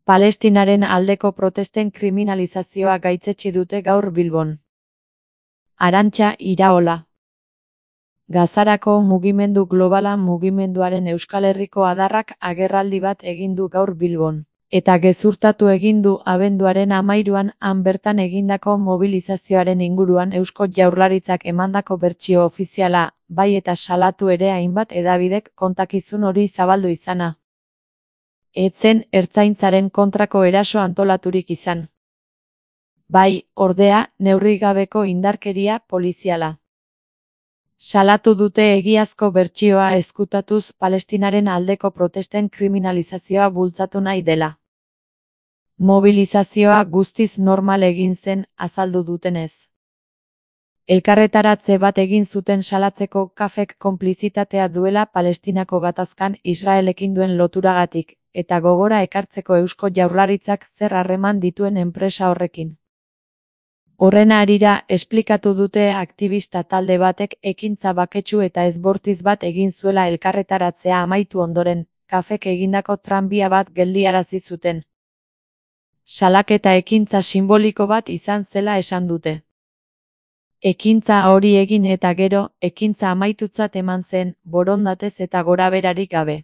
Palestinaren aldeko protesten kriminalizazioa gaitzetsi dute gaur Bilbon. Arantxa Iraola. Gazarako mugimendu globala mugimenduaren Euskal Herriko adarrak agerraldi bat egin du gaur Bilbon. Eta gezurtatu egin du abenduaren 13an han bertan egindako mobilizazioaren inguruan Eusko Jaurlaritzak emandako bertsio ofiziala, bai eta salatu ere hainbat hedabidek kontakizun hori zabaldu izana. Ez zen ertzaintzaren kontrako eraso antolaturik izan. Bai, ordea, neurrigabeko indarkeria poliziala. Salatu dute egiazko bertsioa ezkutatuz Palestinaren aldeko protesten kriminalizazioa bultzatu nahi dela. Mobilizazioa guztiz normal egin zen, azaldu dutenez. Elkarretaratze bat egin zuten salatzeko kafek konplizitatea duela Palestinako gatazkan Israelekin duen loturagatik, eta gogora ekartzeko Eusko Jaurlaritzak zer harreman dituen enpresa horrekin. Horren harira, esplikatu dute aktivista talde batek ekintza baketsu eta ezbortiz bat egin zuela elkarretaratzea amaitu ondoren, kafek egindako tranbia bat geldiarazi zuten. Salaketa ekintza sinboliko bat izan zela esan dute. Ekintza hori egin eta gero, ekintza amaitutzat eman zen, borondatez eta goraberarik gabe.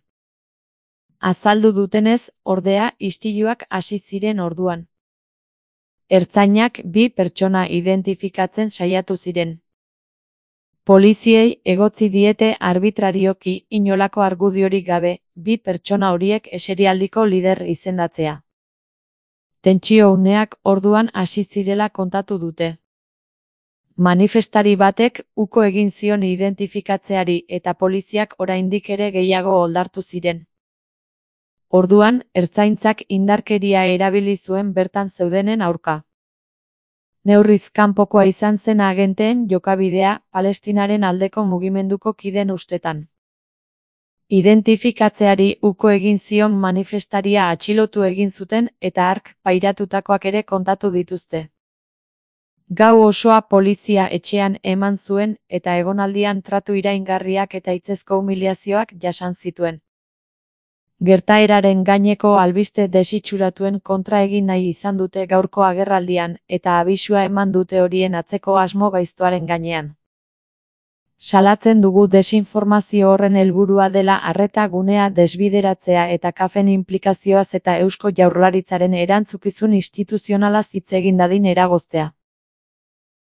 Azaldu dutenez, ordea, istiluak hasi ziren orduan. Ertzainak 2 pertsona identifikatzen saiatu ziren. Poliziei egotzi diete arbitrarioki inolako argudiorik gabe, 2 pertsona horiek eserialdiko lider izendatzea. Tentsio uneak orduan hasi zirela kontatu dute. Manifestari batek uko egin zion identifikatzeari eta poliziak oraindik ere gehiago oldartu ziren. Orduan, ertzaintzak indarkeria erabili zuen bertan zeudenen aurka. Neurriz kanpokoa izan zen agenteen jokabidea Palestinaren aldeko mugimenduko kideen ustetan. Identifikatzeari uko egin zion manifestaria atxilotu egin zuten eta hark pairatutakoak ere kontatu dituzte. Gau osoa polizia etxean eman zuen eta egonaldian tratu iraingarriak eta hitzezko humiliazioak jasan zituen. Gertaeraren gaineko albiste desitxuratuen kontra egin nahi izan dute gaurko agerraldian eta abisua eman dute horien atzeko asmo gaiztoaren gainean. Salatzen dugu desinformazio horren helburua dela arreta gunea desbideratzea eta kafen inplikazioaz eta Eusko Jaurlaritzaren erantzukizun instituzionalaz hitz egin dadin eragoztea.